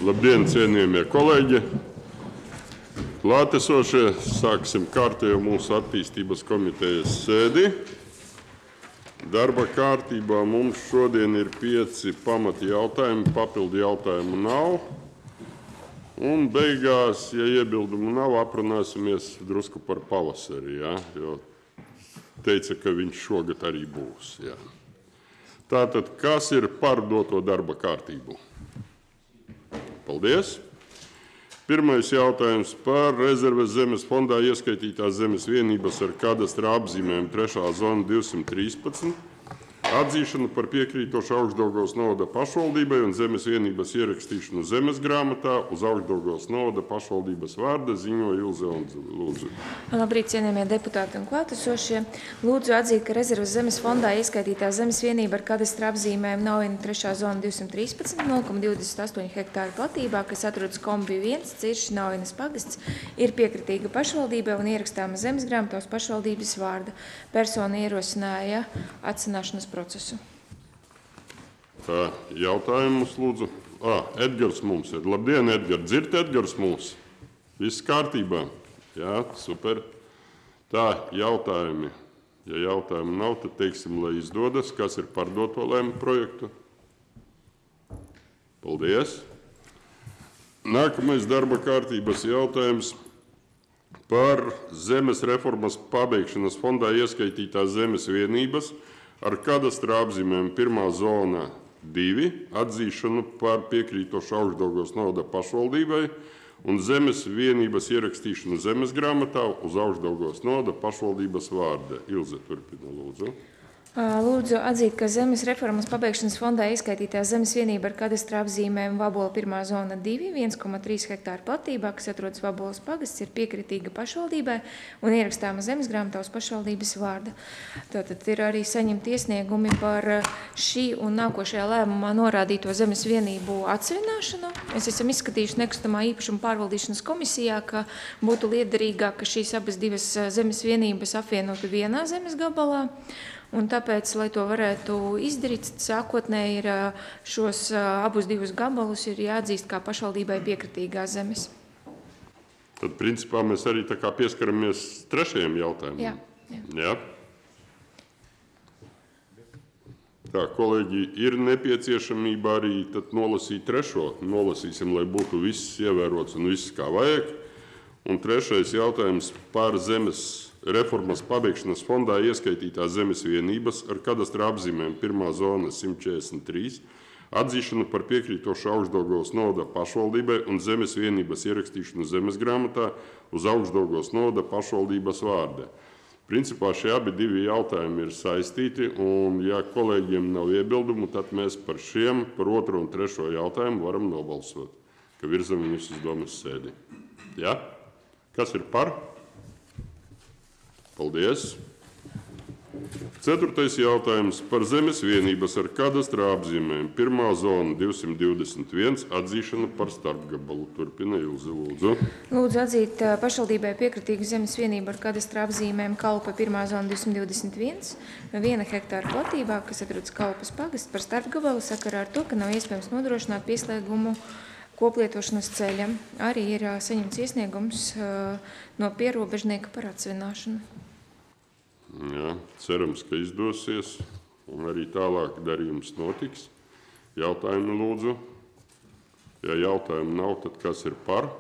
Labdien, cienījamie kolēģi! Klātesošie, sāksim kārtējo mūsu attīstības komitejas sēdi. Darba kārtībā mums šodien ir 5 pamati jautājumi, papildu jautājumu nav. Un beigās, ja iebildumu nav, aprunāsimies drusku par pavasari, ja? Jo teica, ka viņš šogad arī būs. Ja? Tātad, kas ir par doto darba kārtību? Paldies! Pirmais jautājums par rezerves zemes fondā ieskaitītās zemes vienības ar kadastra apzīmēm 3. zona 213, atzīšanu par piekrītošu Augšdaugavas novada pašvaldībai un zemes vienības ierakstīšanu zemes grāmatā uz Augšdaugavas novada pašvaldības vārda ziņoja Ilze Ondzele. Lūdzu. Labrīt, cienījamie deputāti un klātesošie. Lūdzu atzīt, ka rezerves zemes fondā ieskaitītā zemes vienība ar kadastra apzīmēm Naujina 3. zona 213, 0,28 hektāru platībā, kas atrodas Kombi 1, Cirši Naujinas pagasts, ir piekritīga pašvaldībai un ierakstāma zemes grāmatā uz pašvaldības vārda. Persona ierosināja atsināšanas procesu. Tā, jautājumus lūdzu. Edgars mums ir. Labdien, Edgars. Dzird Edgars mūs? Viss kārtībā? Jā, super. Tā, jautājumi. Ja jautājumu nav, tad teiksim, lai izdodas, kas ir par doto lēmu projektu. Paldies. Nākamais darba kārtības jautājums par zemes reformas pabeigšanas fondā ieskaitītās zemes vienības ar kadastra apzīmēm 1. zona 2, atzīšanu par piekrītošu Augšdaugavas novada pašvaldībai un zemes vienības ierakstīšanu zemes grāmatā uz Augšdaugavas novada pašvaldības vārda. Ilze, turpina, lūdzu. Lūdzu atzīt, ka zemes reformas pabeigšanas fondā ieskaitītā zemes vienība ar kadastra apzīmēm Vabola 1. zona 2, 1,3 hektāru platībā, kas atrodas Vabolas pagasts, ir piekritīga pašvaldībai un ierakstāma zemes grāmatā uz pašvaldības vārda. Tātad ir arī saņemti iesniegumi par šī un nākošajā lēmumā norādīto zemes vienību atsevināšanu. Mēs esam izskatījuši nekustamā īpašuma pārvaldīšanas komisijā, ka būtu liederīgāk, ka šīs abas divas zemes vienības apvienotu vienā zemes gabalā. Un tāpēc, lai to varētu izdarīt, sākotnēji ir šos abus divus gabalus ir jāatzīst kā pašvaldībai piekritīgās zemes. Tad, principā, mēs arī tā kā pieskaramies trešajam jautājumam. Jā. Tā, kolēģi, ir nepieciešamība arī tad nolasīt trešo. Nolasīsim, lai būtu viss ievērots un viss kā vajag. Un trešais jautājums par zemes reformas pabeigšanas fondā ieskaitītās zemes vienības ar kadastra apzīmēm 1. zona 143, atzīšanu par piekrītošu Augšdaugavas novada pašvaldībai un zemes vienības ierakstīšanu zemes grāmatā uz Augšdaugavas novada pašvaldības vārda. Principā šie abi divi jautājumi ir saistīti, un ja kolēģiem nav iebildumu, tad mēs par šiem, par otro un trešo jautājumu varam nobalsot, ka virzam viņus uz domas sēdi. Ja? Kas ir par? Paldies. 4. jautājums par zemes vienības ar kadastra apzīmēm 1. zona 221 atzīšanu par starpgabalu. Turpina Ilze, lūdzu. Lūdzu atzīt pašvaldībai piekritīgu zemes vienību ar kadastra apzīmēm Kalpa 1. zona 221, 1 hektāru platībā, kas atrodas Kalpas pagasts par starpgabalu sakarā ar to, ka nav iespējams nodrošināt pieslēgumu koplietošanas ceļam. Arī ir saņemts iesniegums no pierobežnieka par atsevināšanu. Jā, cerams, ka izdosies, un arī tālāk darījums notiks. Jautājumi lūdzu. Ja jautājumu nav, tad kas ir par?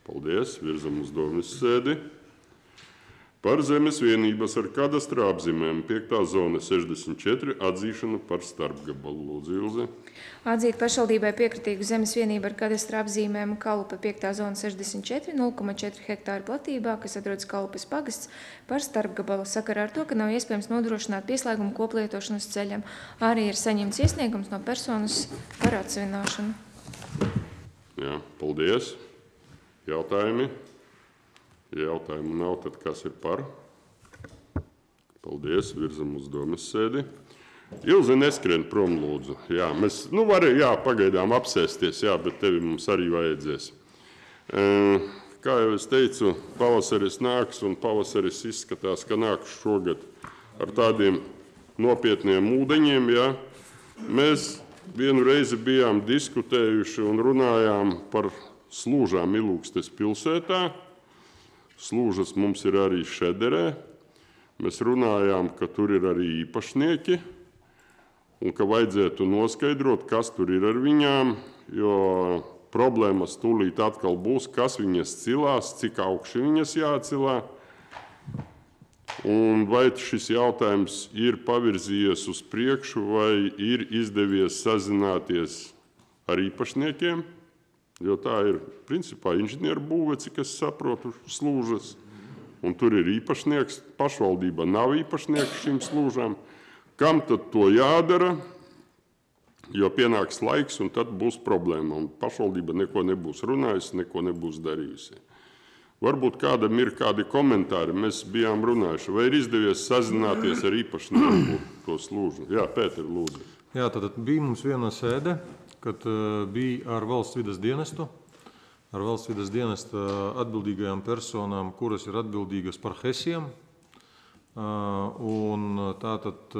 Paldies, virzam uz domas sēdi. Par zemes vienības ar kadastra apzīmēm 5. zona 64 atzīšanu par starpgabalu. Lūdzu, Ilze. Atzīt pašvaldībai piekritīgu zemes vienību ar kadastra apzīmēm Kalupa 5. zona 64, 0,4 hektāru platībā, kas atrodas Kalupas pagasts par starpgabalu sakarā ar to, ka nav iespējams nodrošināt pieslēgumu koplietošanas ceļam. Arī ir saņemts iesniegums no personas par atsevināšanu. Jā, paldies. Jautājumi? Ja jautājumu nav, tad kas ir par? Paldies, virzam uz domas sēdi. Ilze neskrien prom, lūdzu. Jā, mēs varam pagaidām apsēsties, bet tevi mums arī vajadzēs. Kā jau es teicu, pavasaris nāks, un pavasaris izskatās, ka nāks šogad ar tādiem nopietniem ūdeņiem. Jā. Mēs vienu reizi bijām diskutējuši un runājām par slūžām Ilūgstes pilsētā. Slūžas mums ir arī Šederē. Mēs runājām, ka tur ir arī īpašnieki un ka vajadzētu noskaidrot, kas tur ir ar viņām, jo problēmas tūlīt atkal būs, kas viņas cilās, cik augši viņas jācilā. Un vai šis jautājums ir pavirzījies uz priekšu, vai ir izdevies sazināties ar īpašniekiem, jo tā ir principā inženieru būve, cik es saprotu, slūžas. Un tur ir īpašnieks, pašvaldība nav īpašnieks šīm slūžām. Kam tad to jādara? Jo pienāks laiks, un tad būs problēma. Un pašvaldība neko nebūs runājusi, neko nebūs darījusi. Varbūt kādam ir kādi komentāri. Mēs bijām runājuši. Vai ir izdevies sazināties ar īpašnieku to slūžu? Jā, Pēter, lūdzu. Jā, tad bija mums viena sēde, kad bija ar valsts vides dienestu. Ar valsts vides dienesta atbildīgajām personām, kuras ir atbildīgas par HESiem. Un tātad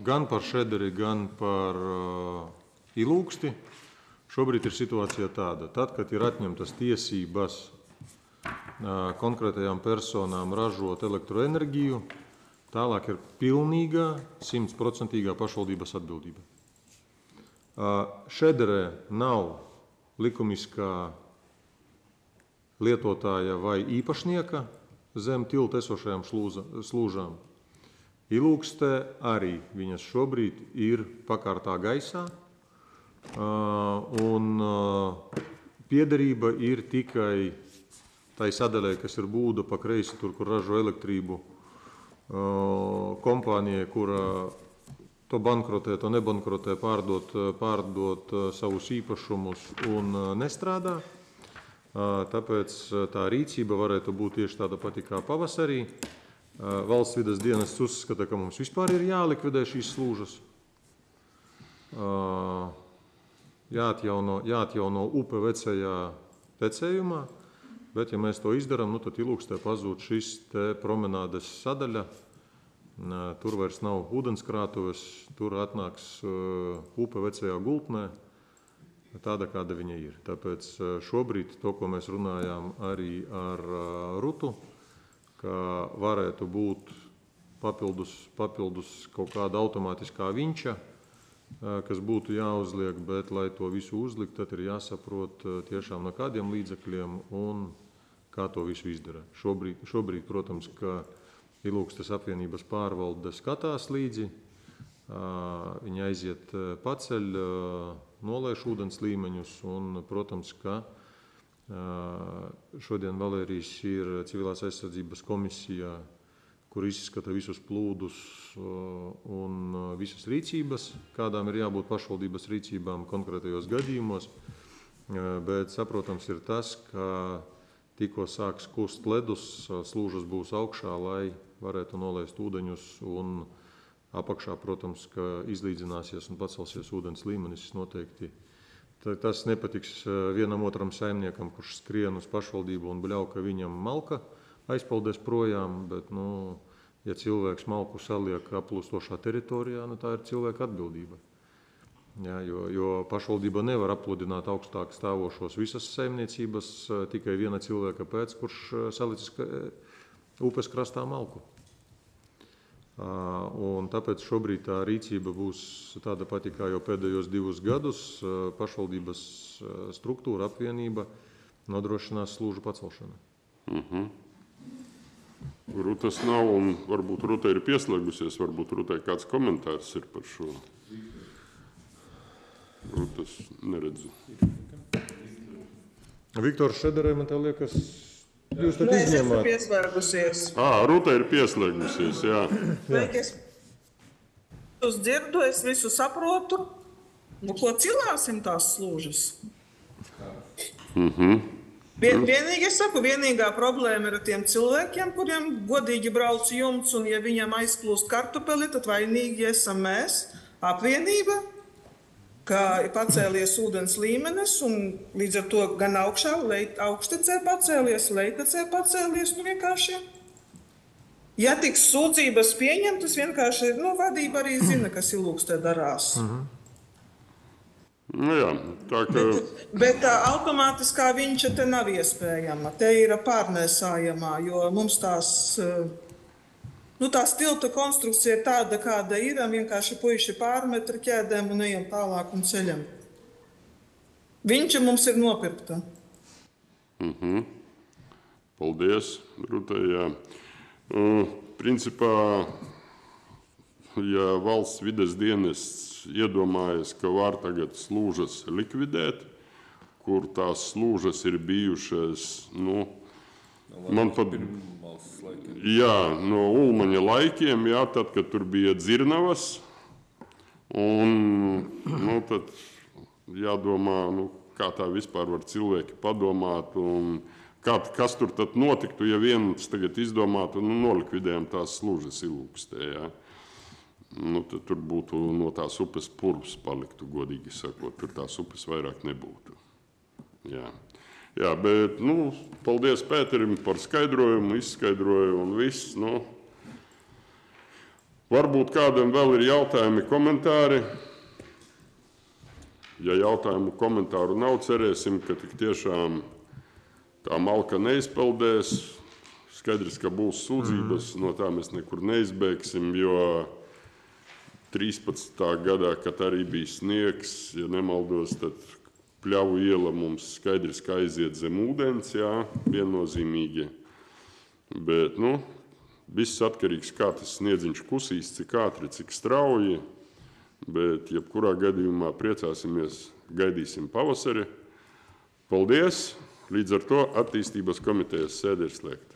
gan par Šederi, gan par Ilūgsti šobrīd ir situācija tāda. Tad, kad ir atņemtas tiesības konkrētajām personām ražot elektroenerģiju, tālāk ir pilnīgā, 100% pašvaldības atbildība. Šederē nav likumiskā lietotāja vai īpašnieka zem tilta esošajām slūžām. Ilūgstē arī viņas šobrīd ir pakārtā gaisā, un piederība ir tikai tai sadaļai, kas ir būda pa kreisi, tur, kur ražo elektrību, kompānijai, kura to bankrotē, to nebankrotē, pārdot savus īpašumus un nestrādā. Tāpēc tā rīcība varētu būt tieši tāda pati kā pavasarī. Valsts vides dienests uzskata, ka mums vispār ir jālikvidē šīs slūžas. Jāatjauno upe vecajā tecējumā, bet ja mēs to izdarām, tad Ilūgstē pazūd šis te promenādes sadaļa. Tur vairs nav ūdenskrātuves, tur atnāks upe vecajā gultnē, tāda, kāda viņa ir. Tāpēc šobrīd to, ko mēs runājām arī ar Rutu, ka varētu būt papildus kaut kāda automātiskā vinča, kas būtu jāuzliek, bet, lai to visu uzlikt, tad ir jāsaprot tiešām no kādiem līdzekļiem un kā to visu izdarīt. Šobrīd, protams, ka Ilūgstes apvienības pārvalde skatās līdzi, viņi aiziet paceļ, nolaiž ūdens līmeņus un, protams, ka šodien Valērijas ir civilās aizsardzības komisijā, kur izskata visus plūdus un visas rīcības, kādām ir jābūt pašvaldības rīcībām konkrētajos gadījumos, bet saprotams ir tas, ka tikko sāks kust ledus, slūžas būs augšā, lai varētu nolaist ūdeņus un apakšā, protams, ka izlīdzināsies un pacelsies ūdens līmenis noteikti. Tas nepatiks vienam otram saimniekam, kurš skrien uz pašvaldību un bļauj, ka viņam malka aizpaldēs projām, bet, ja cilvēks malku saliek aplūstošā teritorijā, tā ir cilvēka atbildība. Ja, jo pašvaldība nevar apludināt augstāk stāvošos visas saimniecības tikai viena cilvēka pēc, kurš salicis upes krastā malku. Un tāpēc šobrīd tā rīcība būs tāda pati kā jau pēdējos 2 gadus. Pašvaldības struktūra, apvienība nodrošinās slūžu pacelšanu. Rutas nav, un varbūt Ruta ir pieslēgusies, varbūt Rutai kāds komentārs ir par šo. Rutas neredzu. Viktors Šederē, man tā liekas, jūs tad Nē, es esmu izņēmāt. pieslēgusies. Ruta ir pieslēgusies, jā. Sveiki, es dzirdu, es visu saprotu. Ko cilāsim tās slūžas? Vienīgi es saku, vienīgā problēma ir ar tiem cilvēkiem, kuriem godīgi brauc jumts, un ja viņam aizplūst kartupeli, tad vainīgi esam mēs, apvienība, ka ir pacēlies ūdens līmenis, un līdz ar to gan augštecē pacēlies, lejtecē pacēlies, vienkārši. Ja tiks sūdzības pieņemtas, vienkārši, vadība arī zina, kas Ilūgstē darās. Nu, jā, tā kā... Bet tā automātiskā viņš te nav iespējama. Te ir pārnēsājamā, jo mums tās tilta konstrukcija ir tāda, kāda ir. Vienkārši puiši pārmet ar ķēdēm un ejam tālāk un ceļam. Viņš mums ir nopirkta. Paldies, Rūtai, jā. Principā, ja valsts vides dienests iedomājas, ka var tagad slūžas likvidēt, kur tās slūžas ir bijušas, man pat... Jā, no Ulmaņa laikiem, jā, tad, kad tur bija dzirnavas, un, tad jādomā, kā tā vispār var cilvēki padomāt, un kas tur tad notiktu, ja viens tagad izdomātu, nolikvidējam tās slūžas Ilūkstē, jā. Tad tur būtu no tās upes purvs paliktu, godīgi sakot, tur tās upes vairāk nebūtu. Jā, bet, paldies Pēterim par skaidrojumu, izskaidrojumu un viss, Varbūt kādam vēl ir jautājumi, komentāri. Ja jautājumu komentāru nav, cerēsim, ka tik tiešām tā malka neizpeldēs. Skaidrs, ka būs sūdzības, no tā mēs nekur neizbēgsim, jo 13. gadā, kad arī bija sniegs, ja nemaldos, tad Pļavu iela mums skaidrs, ka aiziet zem ūdens, jā, viennozīmīgi. Bet, viss atkarīgs, kā tas sniedziņš kusīs, cik ātri, cik strauji. Bet, jebkurā gadījumā priecāsimies, gaidīsim pavasari. Paldies! Līdz ar to attīstības komitejas sēde ir slēgta.